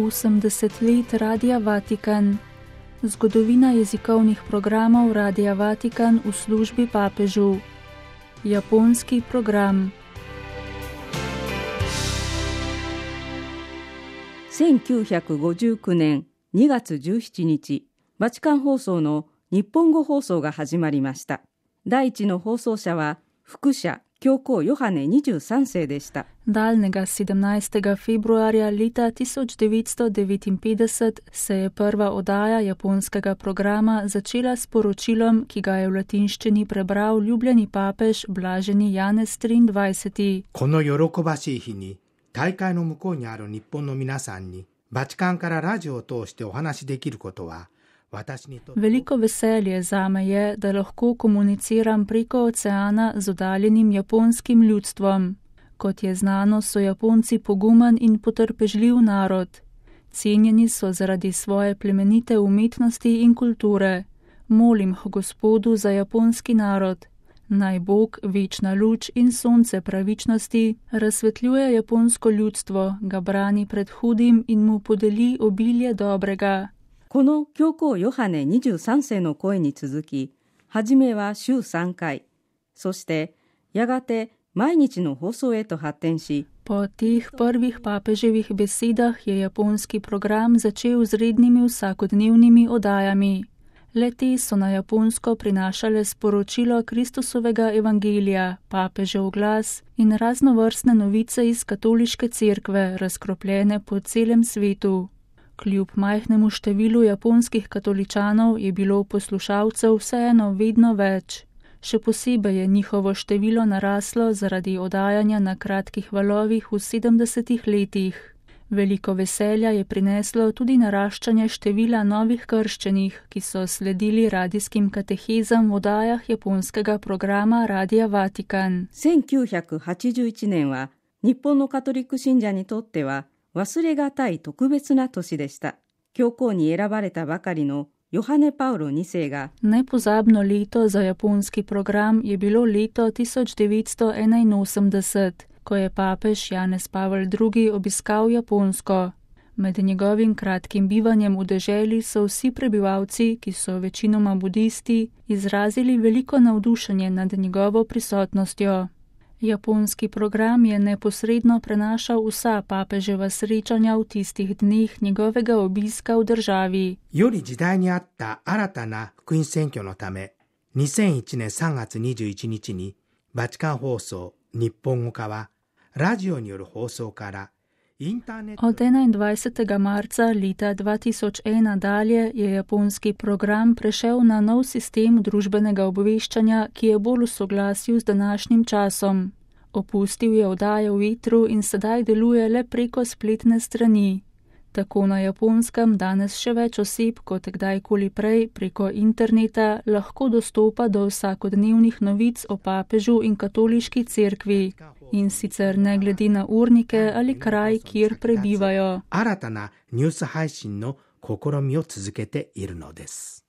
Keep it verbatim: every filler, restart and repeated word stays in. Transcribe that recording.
osemdeset let Radia Vatikan. Zgodovina jezikovnih programov Radia Vatikan v službi papežu. Japonski program. せんきゅうひゃくごじゅうきゅうねんにがつじゅうしちにち、バチカン放送の日本語放送が始まりました。第一の放送者は副社教皇ヨハネにじゅうさんせいでした。Daljnega sedemnajstega februarja leta tisoč devetsto devetinpetdeset se je prva oddaja japonskega programa začela s poročilom, ki ga je v latinščini prebral ljubljeni papež Blaženi Janez triindvajseti. この喜ばしい日に大会の向こうにある日本の皆さんにバチカンからラジオを通してお話しできることは Veliko veselje zame je, da lahko komuniciram preko oceana z oddaljenim japonskim ljudstvom. Kot je znano, so Japonci pogumen in potrpežljiv narod. Cenjeni so zaradi svoje plemenite umetnosti in kulture. Molim Gospodu za japonski narod. Naj Bog, večna luč in sonce pravičnosti razsvetljuje japonsko ljudstvo, ga brani pred hudim in mu podeli obilje dobrega. この教皇ヨハネにじゅうさんせいの声に続き、はじめは週さんかい、そしてやがて毎日の放送へと発展し、Po teh prvih papeževih besedah je japonski program začel z rednimi vsakodnevnimi oddajami. Le-te so na Japonsko prinašale sporočilo Kristusovega evangelija, papežev glas in raznovrstne novice iz katoliške cerkve, razkropljene po celem svetu. Kljub majhnemu številu japonskih katoličanov je bilo poslušalcev vseeno vedno več. Še posebej je njihovo število naraslo zaradi oddajanja na kratkih valovih v sedemdesetih letih. Veliko veselja je prineslo tudi naraščanje števila novih krščenih, ki so sledili radijskim katehezam v oddajah japonskega programa Radia Vatikan. せんきゅうひゃくはちじゅういちねんは日本のカトリック信者にとっては忘れがたい特別な年でした。教皇に選ばれたばかりのヨハネ・パウロにせいが Nepozabno leto za japonski program je bilo leto tisoč devetsto enainosemdeset, ko je papež Janez Pavel drugi obiskal Japonsko. Med njegovim kratkim bivanjem v deželi so vsi prebivalci, ki so večinoma budisti, izrazili veliko navdušenje nad njegovo prisotnostjo. Japonski program je neposredno prenašal vsa papeževa srečanja v tistih dneh njegovega obiska v državi. より時代に合った新たな福音宣教のため、にせんいちねんさんがつにじゅういちにちにバチカン放送日本語化はラジオによる放送からインターネット Od enaindvajsetega marca leta dva tisoč ena dalje je japonski program prešel na nov sistem družbenega obveščanja, ki je bolj v soglasju z današnjim časom. Opustil je oddaje v etru in sedaj deluje le preko spletne strani. Tako na Japonskem danes še več oseb kot kdajkoli prej preko interneta lahko dostopa do vsakodnevnih novic o papežu in katoliški cerkvi, in sicer ne glede na urnike ali kraj, kjer prebivajo. 新たなニュース配信の試みを続けているのです。